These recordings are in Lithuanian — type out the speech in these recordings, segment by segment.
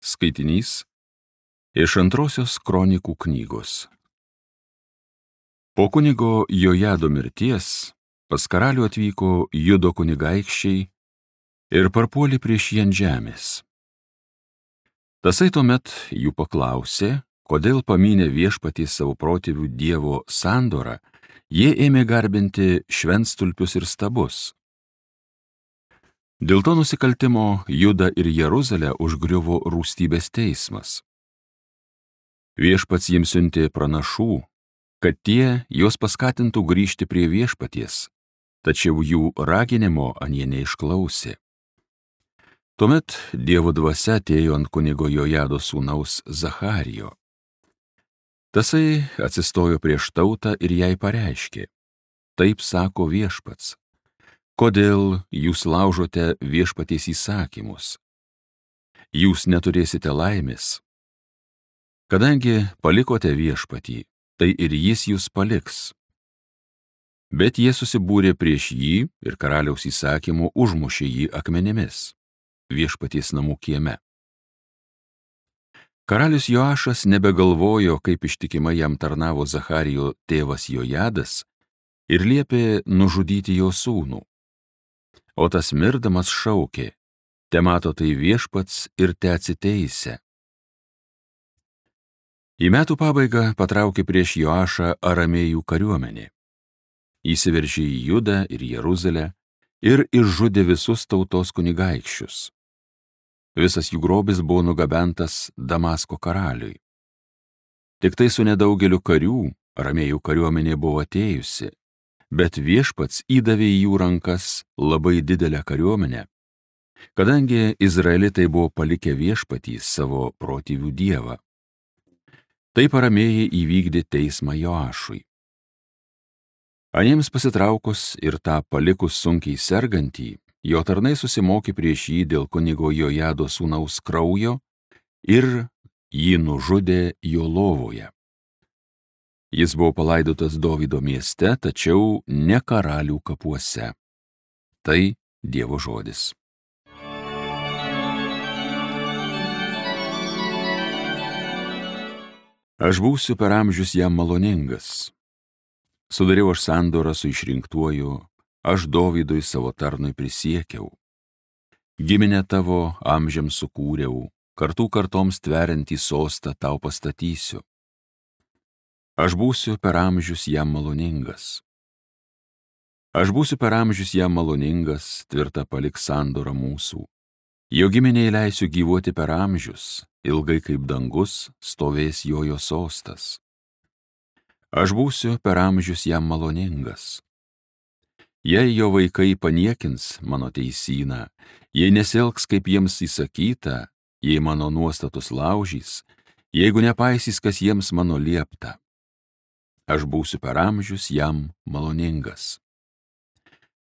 Skaitinys iš Antrosios kronikų knygos. Po kunigo Jojado mirties pas karalių atvyko Judo kunigaikščiai ir parpuolė prieš jį ant žemės. Tasai tuomet jų paklausė, kodėl pamynę viešpaties savo protėvių Dievo sandorą, jie ėmė garbinti šventstulpius ir stabus. Dėl to nusikaltimo Judą ir Jeruzalę užgriuvo rūstybės teismas. Viešpats jiems siuntė pranašų, kad tie juos paskatintų grįžti prie viešpaties, tačiau jų raginimo anie neišklausė. Tuomet Dievo dvasia atėjo ant kunigo Jojado sūnaus Zacharijo. Tasai atsistojo prieš tautą ir jai pareiškė: taip sako viešpats, kodėl jūs laužote viešpaties įsakymus? Jūs neturėsite laimės. Kadangi palikote viešpatį, tai ir jis jūs paliks. Bet jie susibūrė prieš jį ir karaliaus įsakymu užmušė jį akmenimis viešpaties namų kieme. Karalius Joašas nebegalvojo, kaip ištikimai jam tarnavo Zacharijo tėvas Jojadas, ir liepė nužudyti jo sūnų. O tas mirdamas šaukė: temato tai viešpats ir teatsiteisia. Į metų pabaigą patraukė prieš Joašą aramėjų kariuomenė. Įsiveržė į Judą ir Jeruzalę ir išžudė visus tautos kunigaikščius. Visas jų grobis buvo nugabentas Damasko karaliui. Tik tai su nedaugeliu karių aramėjų kariuomenė buvo atėjusi, bet viešpats įdavė į jų rankas labai didelę kariuomenę, kadangi izraelitai buvo palikę viešpatį savo protėvių dievą. Taip aramėjai įvykdė teismą Joašui. Aniems pasitraukus ir tą palikus sunkiai sergantį, jo tarnai susimokė prieš jį dėl kunigo Jojado sūnaus kraujo ir jį nužudė jo lovoje. Jis buvo palaidotas Dovydo mieste, tačiau ne karalių kapuose. Tai Dievo žodis. Aš būsiu per amžius jam maloningas. Sudariau aš sandorą su išrinktuoju, aš Dovydui savo tarnui prisiekiau. Giminę tavo amžiams sukūriau, kartų kartoms tveriantį sostą tau pastatysiu. Aš būsiu per amžius jam maloningas. Aš būsiu per amžius jam maloningas, tvirta paliks sandorą mūsų. Jo giminiai leisiu gyvuoti per amžius, ilgai kaip dangus stovės jojo sostas. Aš būsiu per amžius jam maloningas. Jei jo vaikai paniekins mano teisyną, jei nesielgs kaip jiems įsakyta, jei mano nuostatus laužys, jeigu nepaisys, kas jiems mano liepta, aš būsiu per amžius jam maloningas.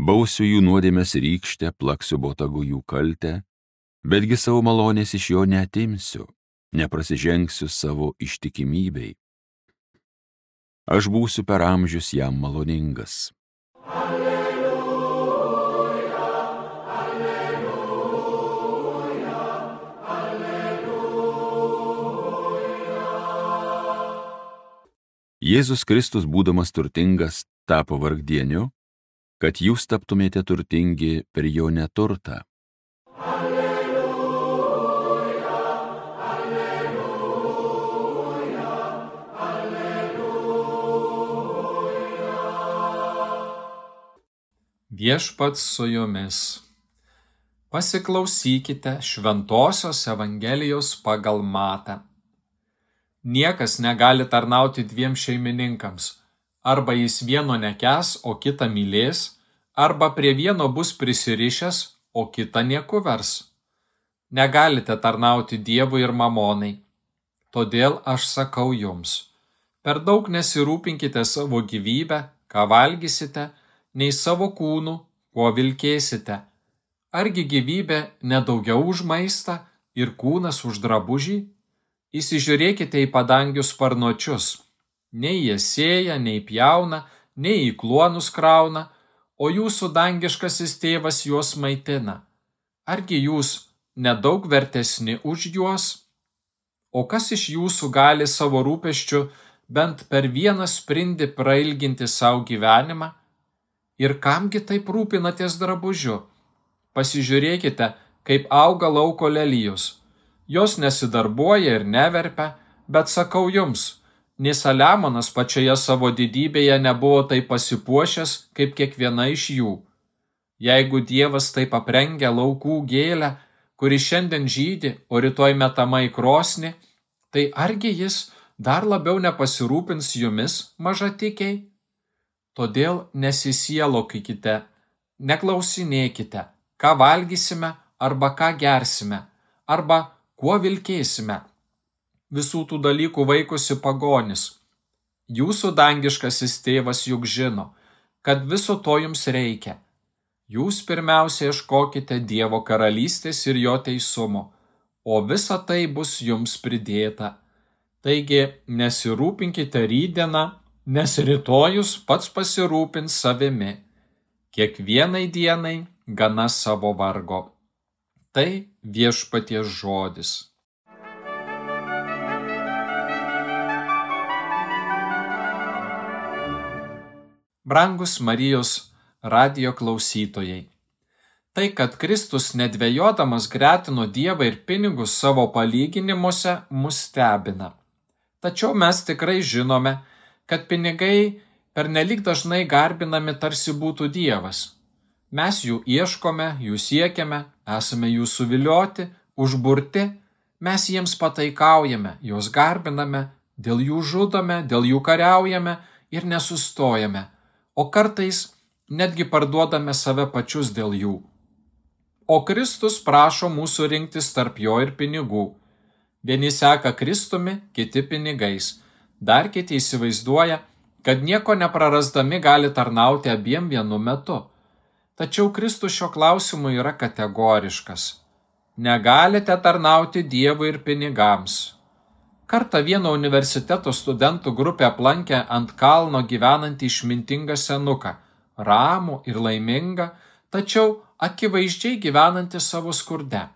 Bausiu jų nuodėmes rykšte, plaksiu botagu jų kaltę, betgi savo malonės iš jo neatimsiu, neprasižengsiu savo ištikimybei. Aš būsiu per amžius jam maloningas. Alleluja, alleluja, alleluja. Jėzus Kristus, būdamas turtingas, tapo vargdieniu, kad jūs taptumėte turtingi per jo neturtą. Viešpats su jumis. Pasiklausykite Šventosios Evangelijos pagal Matą. Niekas negali tarnauti dviem šeimininkams. Arba jis vieno nekęs, o kitą mylės, arba prie vieno bus prisirišęs, o kitą nieku vers. Negalite tarnauti Dievui ir mamonai. Todėl aš sakau jums, per daug nesirūpinkite savo gyvybę, ką valgysite, nei savo kūnų, kuo vilkėsite. Argi gyvybė nedaugiau už maistą ir kūnas už drabužį? Įsižiūrėkite į padangių sparnuočius. Nei jie sėja, nei pjauna, nei į kluonus krauna, o jūsų dangiškasis tėvas juos maitina. Argi jūs nedaug vertesni už juos? O kas iš jūsų gali savo rūpesčiu bent per vieną sprindį prailginti savo gyvenimą? Ir kamgi taip rūpinatės drabužiu? Pasižiūrėkite, kaip auga lauko lelijos. Jos nesidarbuoja ir neverpia, bet sakau jums, nė Saliamonas pačioje savo didybėje nebuvo taip pasipuošęs kaip kiekviena iš jų. Jeigu Dievas taip aprengia laukų gėlę, kuri šiandien žydi, o rytoj metama į krosnį, tai argi jis dar labiau nepasirūpins jumis, mažatikiai? Todėl nesisielokite, neklausinėkite, ką valgysime arba ką gersime, arba kuo vilkėsime. Visų tų dalykų vaikosi pagonis. Jūsų dangiškasis tėvas juk žino, kad viso to jums reikia. Jūs pirmiausia ieškokite Dievo karalystės ir jo teisumo, o visa tai bus jums pridėta. Taigi nesirūpinkite rytdieną, nes rytojus pats pasirūpins savimi. Kiekvienai dienai gana savo vargo. Tai Viešpaties žodis. Brangus Marijos radijo klausytojai. Tai, kad Kristus nedvejodamas gretino Dievą ir pinigus savo palyginimuose, mus stebina. Tačiau mes tikrai žinome, kad pinigai pernelyg dažnai garbinami tarsi būtų Dievas. Mes jų ieškome, jų siekiame, esame jų suvilioti, užburti, mes jiems pataikaujame, juos garbiname, dėl jų žudome, dėl jų kariaujame ir nesustojame, o kartais netgi parduodame save pačius dėl jų. O Kristus prašo mūsų rinktis tarp jo ir pinigų. Vieni seka Kristumi, kiti pinigais. Dar kiti įsivaizduoja, kad nieko neprarasdami gali tarnauti abiem vienu metu. Tačiau Kristus šio klausimu yra kategoriškas. Negalite tarnauti Dievui ir pinigams. Kartą vieno universiteto studentų grupė aplankė ant kalno gyvenantį išmintingą senuką, ramų ir laimingą, tačiau akivaizdžiai gyvenantį savo skurde.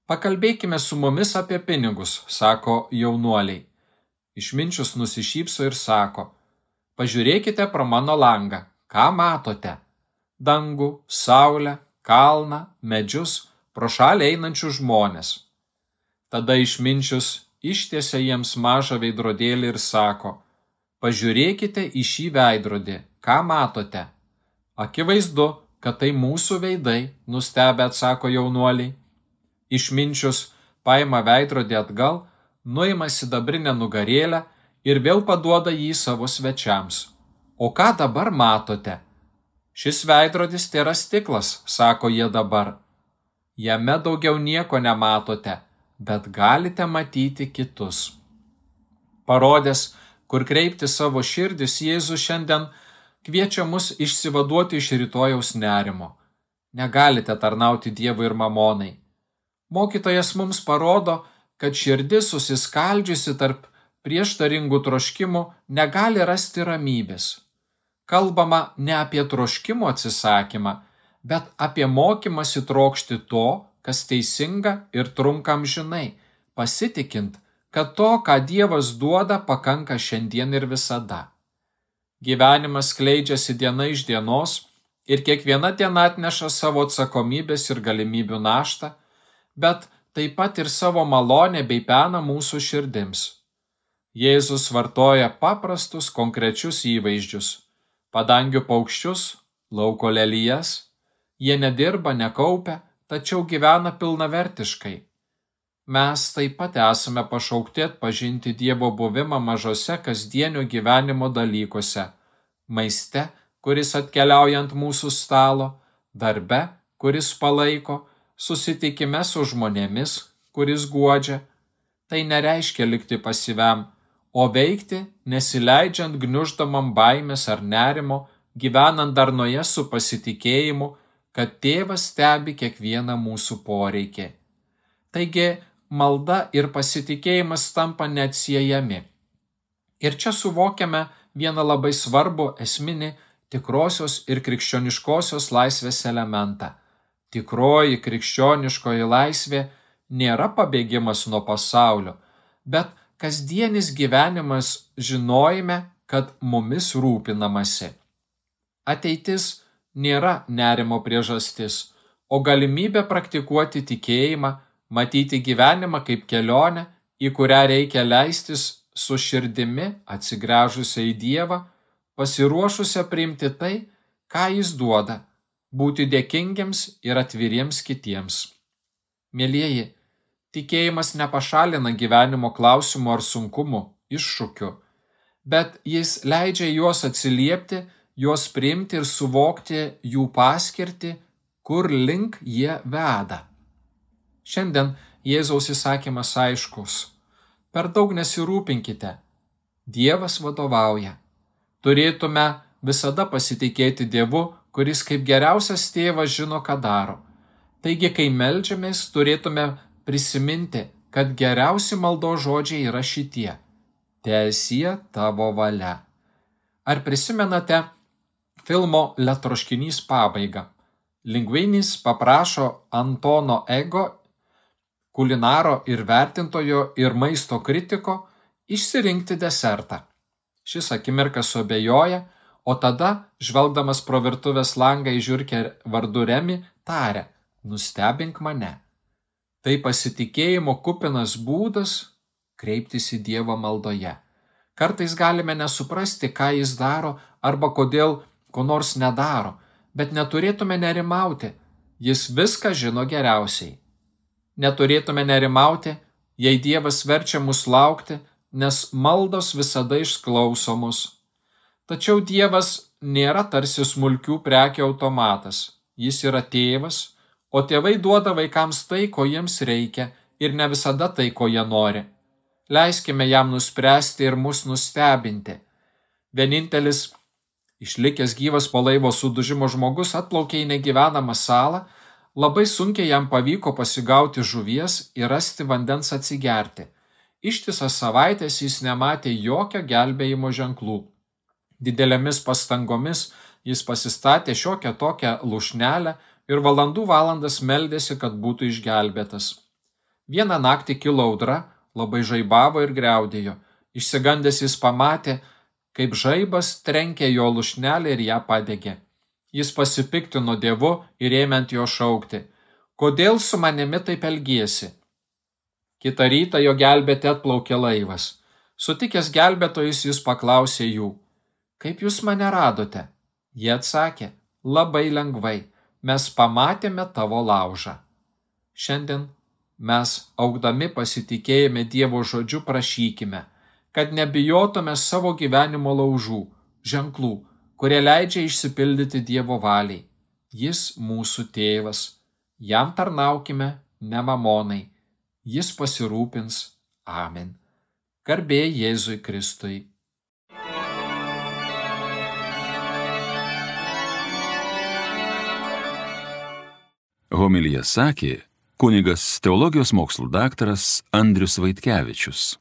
Pakalbėkime su mumis apie pinigus, sako jaunuoliai. Išminčius nusišypso ir sako, pažiūrėkite pro mano langą, ką matote? Dangų, saulę, kalną, medžius, pro šalį einančius žmonės. Tada Išminčius ištiesia jiems mažą veidrodėlį ir sako, pažiūrėkite į šį veidrodį, ką matote? Akivaizdu, kad tai mūsų veidai, nustebę atsako jaunuoliai. Išminčius paima veidrodį atgal, nuima sidabrinę nugarėlę ir vėl paduoda jį savo svečiams. O ką dabar matote? Šis veidrodis tėra stiklas, sako jie dabar. Jame daugiau nieko nematote, bet galite matyti kitus. Parodęs, kur kreipti savo širdis, Jėzus šiandien kviečia mus išsivaduoti iš rytojaus nerimo. Negalite tarnauti Dievui ir mamonai. Mokytojas mums parodo, kad širdis susiskaldžiusi tarp prieštaringų troškimų negali rasti ramybės. Kalbama ne apie troškimo atsisakymą, bet apie mokymąsi trokšti to, kas teisinga ir trunka amžinai, pasitikint, kad to, ką Dievas duoda, pakanka šiandien ir visada. Gyvenimas skleidžiasi diena iš dienos ir kiekviena diena atneša savo atsakomybės ir galimybių naštą, bet taip pat ir savo malonę bei peną mūsų širdims. Jėzus vartoja paprastus konkrečius įvaizdžius, padangių paukščius, lauko lelijas, jie nedirba, nekaupia, tačiau gyvena pilnavertiškai. Mes taip pat esame pašaukti atpažinti Dievo buvimą mažose kasdienio gyvenimo dalykuose, maiste, kuris atkeliauja ant mūsų stalo, darbe, kuris palaiko, susitikime su žmonėmis, kuris guodžia. Tai nereiškia likti pasyviam, o veikti, nesileidžiant gniuždamam baimės ar nerimo, gyvenant darnoje su pasitikėjimu, kad Tėvas stebi kiekvieną mūsų poreikį. Taigi, malda ir pasitikėjimas tampa neatsiejami. Ir čia suvokiame vieną labai svarbų esminį tikrosios ir krikščioniškosios laisvės elementą. Tikroji krikščioniškoji laisvė nėra pabėgimas nuo pasaulio, bet kasdienis gyvenimas žinojime, kad mumis rūpinamasi. Ateitis nėra nerimo priežastis, o galimybė praktikuoti tikėjimą, matyti gyvenimą kaip kelionę, į kurią reikia leistis su širdimi atsigręžusia į Dievą, pasiruošusia priimti tai, ką Jis duoda, būti dėkingiams ir atviriems kitiems. Mielieji, tikėjimas nepašalina gyvenimo klausimų ar sunkumų, iššūkių, bet jis leidžia juos atsiliepti, juos priimti ir suvokti jų paskirtį, kur link jie veda. Šiandien Jėzaus įsakymas aiškus. Per daug nesirūpinkite. Dievas vadovauja. Turėtume visada pasitikėti Dievu, kuris kaip geriausias tėvas žino, ką daro. Taigi, kai meldžiamės, turėtume prisiminti, kad geriausi maldos žodžiai yra šitie: Teesie tavo valia. Ar prisimenate filmo Letroškinys pabaigą? Lingvinis paprašo Antono Ego, kulinaro ir vertintojo ir maisto kritiko, išsirinkti desertą. Šis akimirką suabejoja, o tada, žvelgdamas pro virtuvės langą į žiurkę vardu Remi, taria: nustebink mane. Tai pasitikėjimo kupinas būdas kreiptis į Dievą maldoje. Kartais galime nesuprasti, ką Jis daro arba kodėl ko nors nedaro, bet neturėtume nerimauti. Jis viską žino geriausiai. Neturėtume nerimauti, jei Dievas verčia mus laukti, nes maldos visada išklausomos. Tačiau Dievas nėra tarsi smulkių prekių automatas. Jis yra tėvas, o tėvai duoda vaikams tai, ko jiems reikia, ir ne visada tai, ko jie nori. Leiskime jam nuspręsti ir mus nustebinti. Vienintelis išlikęs gyvas po laivo sudužimo žmogus atplaukė į negyvenamą salą, labai sunkiai jam pavyko pasigauti žuvies ir rasti vandens atsigerti. Ištisas savaitės jis nematė jokio gelbėjimo ženklų. Didelėmis pastangomis jis pasistatė šiokią tokią lūšnelę ir valandų valandas meldėsi, kad būtų išgelbėtas. Vieną naktį kilo audra, labai žaibavo ir griaudėjo. Išsigandęs jis pamatė, kaip žaibas trenkė jo lūšnelę ir ją padegė. Jis pasipiktino Dievu ir ėmė ant jo šaukti: kodėl su manimi taip elgiesi? Kitą rytą jo gelbėti atplaukė laivas. Sutikęs gelbėtojus, jis paklausė jų: kaip jūs mane radote? Jie atsakė: labai lengvai, mes pamatėme tavo laužą. Šiandien mes, augdami pasitikėjime Dievo žodžiu, prašykime, kad nebijotume savo gyvenimo laužų, ženklų, kurie leidžia išsipildyti Dievo valiai. Jis mūsų tėvas. Jam tarnaukime, ne mamonai. Jis pasirūpins. Amen. Garbė Jėzui Kristui. Homiliją sakė kunigas teologijos mokslų daktaras Andrius Vaitkevičius.